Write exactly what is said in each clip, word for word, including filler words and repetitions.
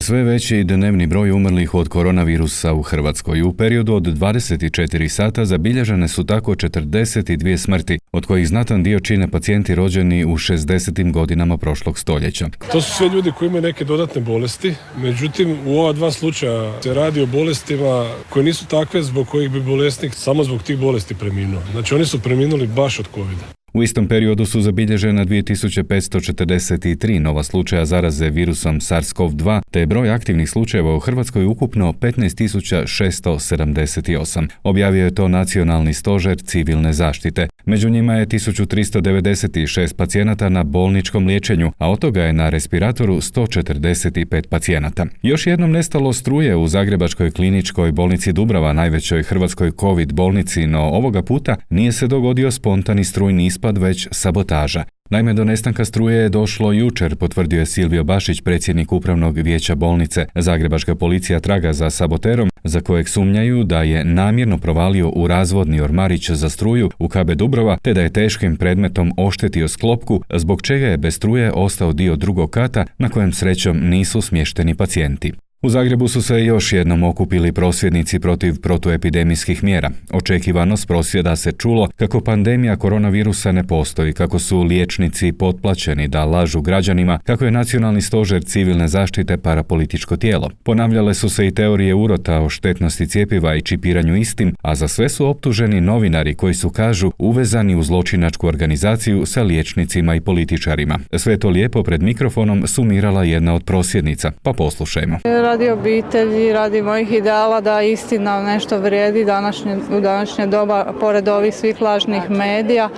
Sve veći dnevni broj umrlih od koronavirusa u Hrvatskoj. U periodu od dvadeset četiri sata zabilježene su tako četrdeset dvije smrti, od kojih znatan dio čine pacijenti rođeni u šezdesetim godinama prošlog stoljeća. To su sve ljudi koji imaju neke dodatne bolesti, međutim u ova dva slučaja se radi o bolestima koje nisu takve zbog kojih bi bolesnik samo zbog tih bolesti preminuo. Znači oni su preminuli baš od covida. U istom periodu su zabilježena dvije tisuće petsto četrdeset tri nova slučaja zaraze virusom SARS-CoV dva, te je broj aktivnih slučajeva u Hrvatskoj ukupno petnaest tisuća šesto sedamdeset osam. Objavio je to Nacionalni stožer civilne zaštite. Među njima je tisuću tristo devedeset šest pacijenata na bolničkom liječenju, a od toga je na respiratoru sto četrdeset pet pacijenata. Još jednom nestalo struje u Zagrebačkoj kliničkoj bolnici Dubrava, najvećoj hrvatskoj COVID bolnici, no ovoga puta nije se dogodio spontani strujni ispad, već sabotaža. Naime, do nestanka struje je došlo jučer, potvrdio je Silvio Bašić, predsjednik upravnog vijeća bolnice. Zagrebačka policija traga za saboterom, za kojeg sumnjaju da je namjerno provalio u razvodni ormarić za struju u K B Dubrava, te da je teškim predmetom oštetio sklopku, zbog čega je bez struje ostao dio drugog kata na kojem srećom nisu smješteni pacijenti. U Zagrebu su se još jednom okupili prosvjednici protiv protuepidemijskih mjera. Očekivano s prosvjeda se čulo kako pandemija koronavirusa ne postoji, kako su liječnici potplaćeni da lažu građanima, kako je Nacionalni stožer civilne zaštite parapolitičko tijelo. Ponavljale su se i teorije urota o štetnosti cjepiva i čipiranju istim, a za sve su optuženi novinari koji su, kažu, uvezani u zločinačku organizaciju sa liječnicima i političarima. Sve to lijepo pred mikrofonom sumirala jedna od prosvjednica, pa poslušajmo. Radi obitelji, radi mojih ideala da istina nešto vrijedi današnje, u današnje doba, pored ovih svih lažnih medija.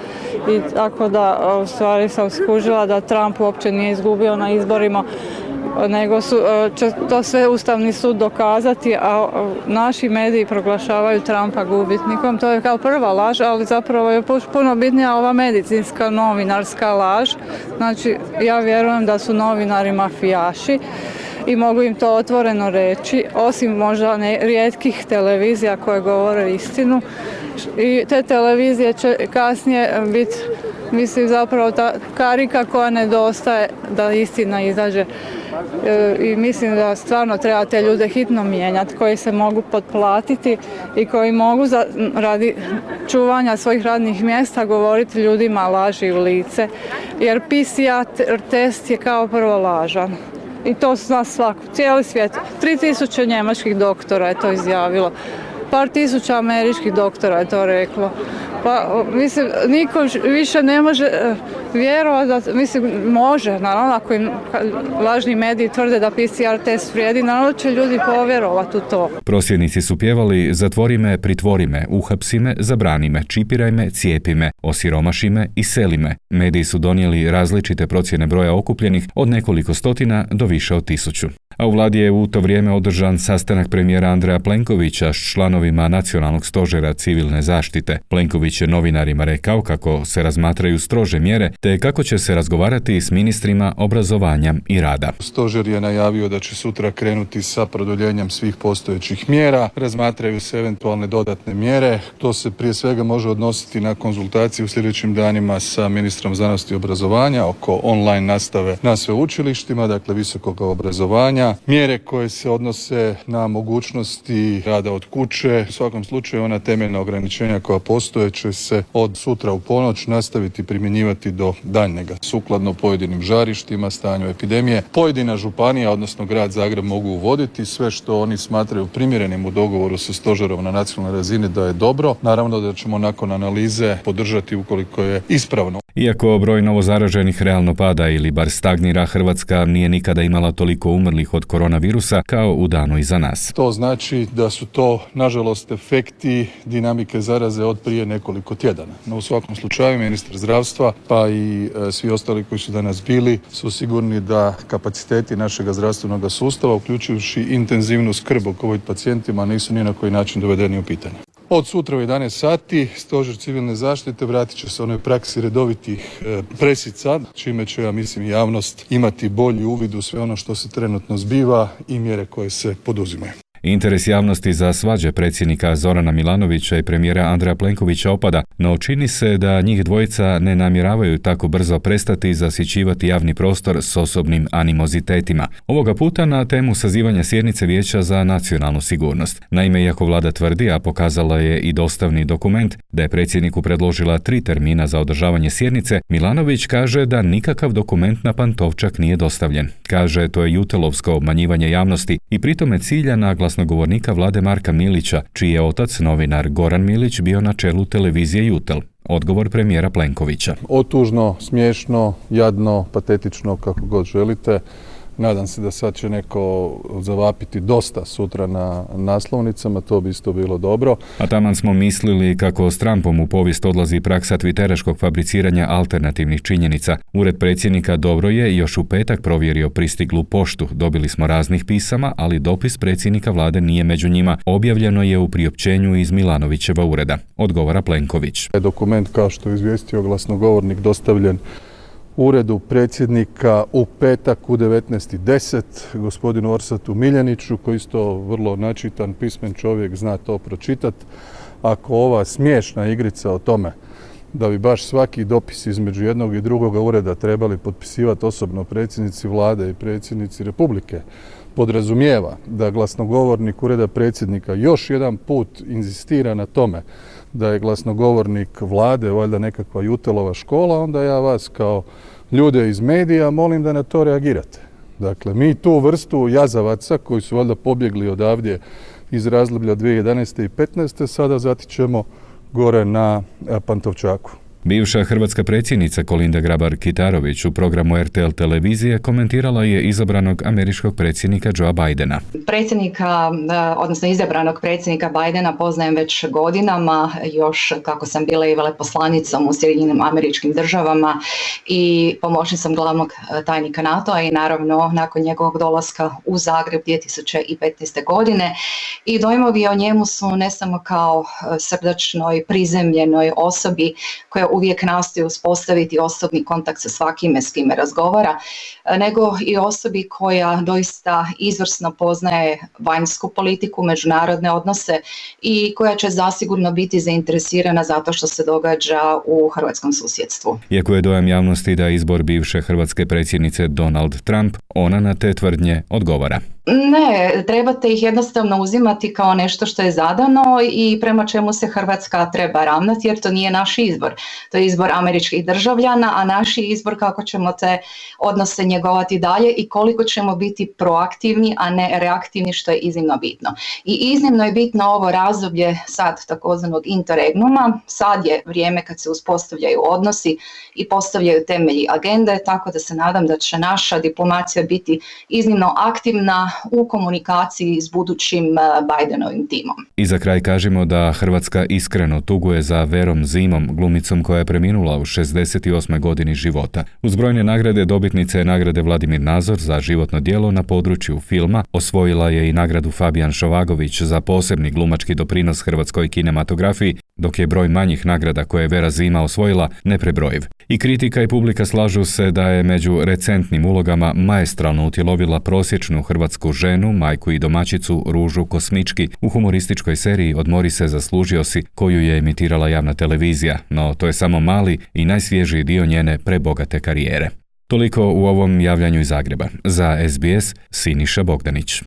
I tako da u stvari sam skužila da Trump uopće nije izgubio na izborima, nego su, će to sve Ustavni sud dokazati, a naši mediji proglašavaju Trumpa gubitnikom. To je kao prva laž, ali zapravo je puno bitnija ova medicinska novinarska laž. Znači, ja vjerujem da su novinari mafijaši i mogu im to otvoreno reći, osim možda ne, rijetkih televizija koje govore istinu. I te televizije će kasnije biti, mislim, zapravo ta karika koja nedostaje da istina izađe. E, I mislim da stvarno treba te ljude hitno mijenjati, koji se mogu potplatiti i koji mogu za, radi čuvanja svojih radnih mjesta govoriti ljudima laži u lice. Jer P C R test je kao prvo lažan. I to zna svako, cijeli svijet. Tri tisuće njemačkih doktora je to izjavilo. Par tisuća američkih doktora je to reklo. Pa, mislim, niko više ne može vjerovati da, mislim, može, naravno, ako im lažni mediji tvrde da P C R test vrijedi, naravno će ljudi povjerovati u to. Prosvjednici su pjevali: zatvori me, pritvori me, uhapsi me, zabrani me, čipiraj me, cijepi me, osiromaši me, iseli me. Mediji su donijeli različite procjene broja okupljenih od nekoliko stotina do više od tisuću. A u vladi je u to vrijeme održan sastanak premijera Andreja Plenkovića s članovima Nacionalnog stožera civilne zaštite. Plenković je novinarima rekao kako se razmatraju strože mjere, te kako će se razgovarati s ministrima obrazovanja i rada. Stožer je najavio da će sutra krenuti sa produljenjem svih postojećih mjera. Razmatraju se eventualne dodatne mjere. To se prije svega može odnositi na konzultaciju u sljedećim danima sa ministrom znanosti i obrazovanja oko online nastave na sveučilištima, dakle visokog obrazovanja. Mjere koje se odnose na mogućnosti rada od kuće. U svakom slučaju ona temeljna ograničenja koja postoje će se od sutra u ponoć nastaviti primjenjivati do daljnjega. Sukladno pojedinim žarištima, stanju epidemije, pojedina županija, odnosno grad Zagreb, mogu uvoditi sve što oni smatraju primjerenim u dogovoru sa stožerom na nacionalnoj razini da je dobro. Naravno da ćemo nakon analize podržati ukoliko je ispravno. Iako broj novozaraženih realno pada ili bar stagnira, Hrvatska nije nikada imala toliko umrlih od koronavirusa kao u danu iza nas. To znači da su to, nažalost, efekti dinamike zaraze od prije nekoliko tjedana. No, u svakom slučaju, ministar zdravstva pa i e, svi ostali koji su danas bili su sigurni da kapaciteti našeg zdravstvenog sustava, uključujući intenzivnu skrb o COVID pacijentima, nisu ni na koji način dovedeni u pitanje. Od sutra u jedanaest sati Stožer civilne zaštite vratit će se onoj praksi redovitih e, presica, čime će, ja mislim, javnost imati bolji uvid u sve ono što se trenutno zbiva i mjere koje se poduzimaju. Interes javnosti za svađe predsjednika Zorana Milanovića i premijera Andreja Plenkovića opada, no čini se da njih dvojica ne namjeravaju tako brzo prestati zasićivati javni prostor s osobnim animozitetima. Ovoga puta na temu sazivanja sjednice Vijeća za nacionalnu sigurnost. Naime, iako vlada tvrdi, a pokazala je i dostavni dokument, da je predsjedniku predložila tri termina za održavanje sjednice, Milanović kaže da nikakav dokument na Pantovčak nije dostavljen. Kaže, to je jutelovsko obmanjivanje javnosti i pritome cilja na glasnogovornika vlade Marka Milića, čiji je otac, novinar Goran Milić, bio na čelu televizije Jutel. Odgovor premijera Plenkovića. Otužno, smiješno, jadno, patetično, kako god želite. Nadam se da sad će neko zavapiti dosta sutra na naslovnicama, to bi isto bilo dobro. A taman smo mislili kako s Trumpom u povijest odlazi praksa twitteraškog fabriciranja alternativnih činjenica. Ured predsjednika dobro je još u petak provjerio pristiglu poštu. Dobili smo raznih pisama, ali dopis predsjednika vlade nije među njima. Objavljeno je u priopćenju iz Milanovićeva ureda. Odgovara Plenković. Dokument, kao što je izvijestio glasnogovornik, dostavljen uredu predsjednika u petak u devetnaest i deset gospodinu Orsatu Miljaniću, koji isto vrlo načitan, pismen čovjek, zna to pročitati. Ako ova smiješna igrica o tome da bi baš svaki dopis između jednog i drugoga ureda trebali potpisivati osobno predsjednici vlade i predsjednici Republike, podrazumijeva da glasnogovornik ureda predsjednika još jedan put inzistira na tome da je glasnogovornik vlade valjda nekakva Jutelova škola, onda ja vas kao ljude iz medija molim da na to reagirate. Dakle, mi tu vrstu jazavaca koji su valjda pobjegli odavdje iz razdoblja dvije tisuće jedanaeste i petnaeste sada zatičemo gore na Pantovčaku. Bivša hrvatska predsjednica Kolinda Grabar-Kitarović u programu R T L televizije komentirala je izabranog američkog predsjednika Joea Bidena. Predsjednika, odnosno izabranog predsjednika Bidena poznajem već godinama, još kako sam bila i veleposlanicom u Sjedinjenim Američkim Državama i pomoćnicom glavnog tajnika NATO-a i naravno nakon njegovog dolaska u Zagreb dvije tisuće petnaeste. godine. I dojmovi o njemu su ne samo kao srdačnoj, prizemljenoj osobi koja uvijek nastoji uspostaviti osobni kontakt sa svakime s kime razgovara, nego i osobi koja doista izvrsno poznaje vanjsku politiku, međunarodne odnose i koja će zasigurno biti zainteresirana zato što se događa u hrvatskom susjedstvu. Iako je dojam javnosti da izbor bivše hrvatske predsjednice Donald Trump, ona na te tvrdnje odgovara. Ne, trebate ih jednostavno uzimati kao nešto što je zadano i prema čemu se Hrvatska treba ravnati, jer to nije naš izbor. To je izbor američkih državljana, a naš je izbor kako ćemo te odnose njegovati dalje i koliko ćemo biti proaktivni, a ne reaktivni, što je iznimno bitno. I iznimno je bitno ovo razdoblje sad takozvanog interregnuma. Sad je vrijeme kad se uspostavljaju odnosi i postavljaju temelji agende, tako da se nadam da će naša diplomacija biti iznimno aktivna u komunikaciji s budućim Bidenovim timom. I za kraj kažemo da Hrvatska iskreno tuguje za Verom Zimom, glumicom koja je preminula u šezdeset osmoj godini života. Uz brojne nagrade dobitnice je nagrade Vladimir Nazor za životno djelo na području filma, osvojila je i nagradu Fabijan Šovagović za posebni glumački doprinos hrvatskoj kinematografiji, dok je broj manjih nagrada koje je Vera Zima osvojila neprebrojiv. I kritika i publika slažu se da je među recentnim ulogama maestralno utjelovila prosječnu hrvatsku ženu, majku i domaćicu Ružu Kosmički u humorističkoj seriji Odmori se, zaslužio si, koju je emitirala javna televizija, no to je samo mali i najsvježiji dio njene prebogate karijere. Toliko u ovom javljanju iz Zagreba. Za S B S, Siniša Bogdanić.